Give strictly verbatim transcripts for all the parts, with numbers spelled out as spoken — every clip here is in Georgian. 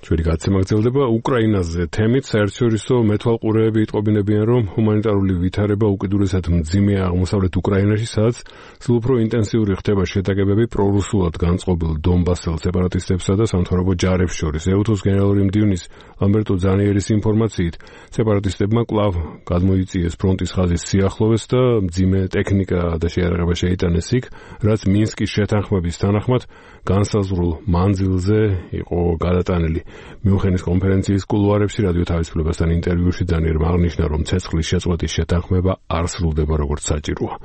ჩვენი გაცემა გრძელდება უკრაინაზე თემით. საერთაშორისო მეთვალყურეები იტყობინებიან, რომ ჰუმანიტარული ვითარება უკიდურესად მძიმეა აღმოსავლეთ უკრაინაში, სადაც სულ უფრო ინტენსიური ხდება შეტაკებები პრორუსულად განწყობილ დონბასელ სეპარატისტებსა და სამთავრობო ჯარებს შორის. ეუთოს გენერალური მდივნის ლამბერტო ძანიერის ინფორმაციით, სეპარატისტებმა კვლავ გადმოიწიეს ფრონტის ხაზის სიახლოვეს და მძიმე ტექნიკა და შეიარაღება შეიტანეს იქ, რაც მინსკის შეთანხმების თანახმად განსაზღვრულ მანძილზე იყო გადატანილი. მიუნხენის კონფერენციის კულუარებში რადიო თავისუფლებასთან ინტერვიუში ძანიერმა აღნიშნა, რომ ცეცხლის შეწყვეტის შეთანხმება არ სრულდება როგორც საჭიროა.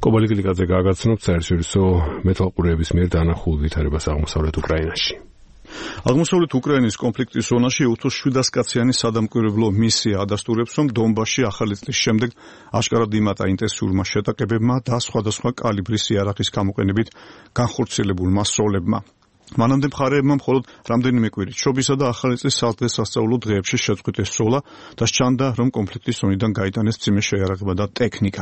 კობალი კილიკაძე გააგაცნოთ საერთაშორისო მეთვალყურეების მიერ დანახულ ვითარებას აღმოსავლეთ უკრაინაში. აღმოსავლეთ უკრაინის კონფლიქტის ზონაში ეუთოს შვიდას კაციანი სადამკვირვებლო მისია ადასტურებს, რომ დონბასში ახალი წლის შემდეგ აშკარად იმატა ინტენსიურმა შეტაკებებმა და სხვადასხვა კალიბრის იარაღის გამოყენებით განხორციელებულმა სროლებმა. მანამდე მხარეებმა მხოლოდ რამდენიმე კვირით შობისა და ახალი წლის სადღესასწაულო დღეებში შეწყვიტეს სროლა და სჩანდა, რომ კონფლიქტის ზონიდან გაიტანეს მძიმე შეიარაღება და ტექნიკა.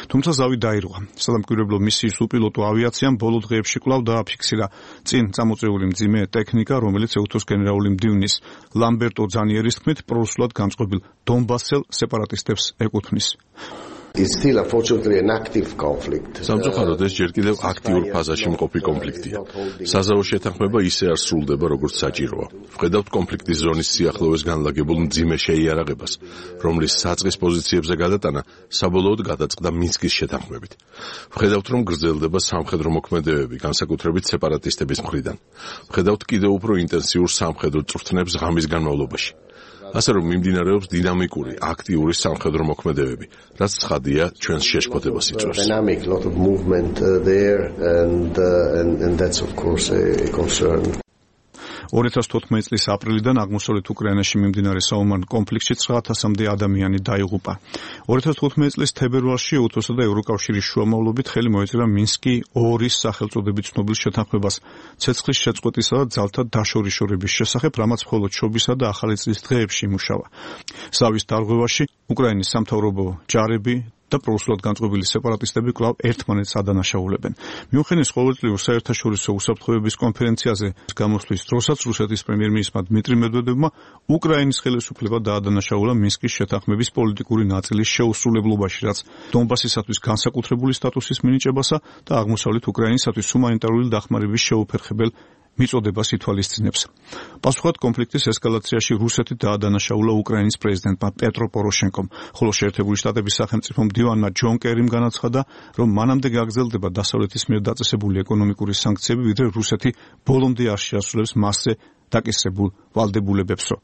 თუმცა ზავი დაირღვა. სადამკვირვებლო მისიის უპილოტო ავიაციამ ბოლო დღეებში კვლავ დააფიქსირა წინ წამოწეული მძიმე ტექნიკა, რომელიც ეუთოს გენერალური მდივნის ლამბერტო ძანიერის თქმით პრორუსულად განწყობილ დონბასელ სეპარატისტებს ეკუთვნის. It's still unfortunately an active conflict. სამწუხაროდ ეს ჯერ კიდევ აქტიურ ფაზაში მყოფი კონფლიქტია. საზავო შეთანხმება ისე არ სრულდება, როგორც საჭიროა. ვხედავთ კონფლიქტის ზონის სიახლოვეს განლაგებულ მძიმე შეიარაღებას, რომლის საწყის პოზიციებზე გადატანა საბოლოოდ გადაწყდა მინსკის შეთანხმებით. ვხედავთ, რომ გრძელდება სამხედრო მოქმედებები, განსაკუთრებით სეპარატისტების მხრიდან. ვხედავთ კიდევ უფრო ინტენსიურ სამხედრო წვრთნებს ღამის განმავლობაში. ასე რომ მიმდინარეობს დინამიკური, აქტიური სამხედრო მოქმედებები, რაც ცხადია ჩვენს შეშფოთებას იწვევს. Dynamic, lot of movement uh, there and, uh, and and that's of course a, a concern. ორი ათას თოთხმეტი წლის აპრილიდან აღმოსავლეთ უკრაინაში მიმდინარე საომარ კონფლიქტში ცხრა ათასამდე ადამიანი დაიღუპა. ორი ათას თხუთმეტი წლის თებერვალში ეუთოსა და ევროკავშირის შუამავლობით ხელი მოეწერა მინსკი ორის სახელწოდებით ცნობილ შეთანხმებას ცეცხლის შეწყვეტისა და ძალთა დაშორიშორების შესახებ, რამაც მხოლოდ შობისა და ახალი წლის დღეებში იმუშავა. ზავის დარღვევაში უკრაინის სამთავრობო ჯარები და პრორუსულად განწყობილი სეპარატისტები კვლავ ერთმანეთს ადანაშაულებენ. მიუნხენის ყოველწლიურ საერთაშორისო უსაფრთხოების კონფერენციაზე გამოსვლის დროსაც რუსეთის პრემიერ-მინისტრმა დმიტრი მედვედევმა უკრაინის ხელისუფლება დაადანაშაულა მინსკის შეთანხმების პოლიტიკური ნაწილის შეუსრულებლობაში, რაც დონბასისათვის განსაკუთრებული სტატუსის მინიჭებასა და აღმოსავლეთ უკრაინისათვის ჰუმანიტარული დახმარების შეუფერხებელ მიწოდებას ითვალისწინებს. პასუხად კონფლიქტის ესკალაციაში რუსეთი დაადანაშაულა უკრაინის პრეზიდენტმა პეტრო პოროშენკომ, ხოლო შეერთებული შტატების სახელმწიფო მდივანმა ჯონ კერიმ განაცხადა, რომ მანამდე გაგრძელდება დასავლეთის მიერ დაწესებული ეკონომიკური სანქციები, ვიდრე რუსეთი ბოლომდე არ შეასრულებს მასზე დაკისრებულ ვალდებულებებსო.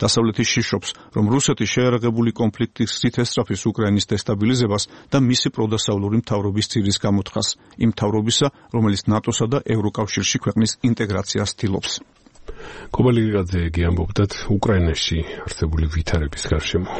დასავლეთი შიშობს, რომ რუსეთი შეიარაღებული კონფლიქტის გზით ესწრაფის უკრაინის დესტაბილიზებას და მისი პროდასავლური მთავრობის ძირის გამოთხას, იმ მთავრობისა, რომელიც ნატოსა და ევროკავშირში ქვეყნის ინტეგრაციას ცდილობს. კობალი კილიკაძე ამბობდა უკრაინაში არსებული ვითარების გარშემო.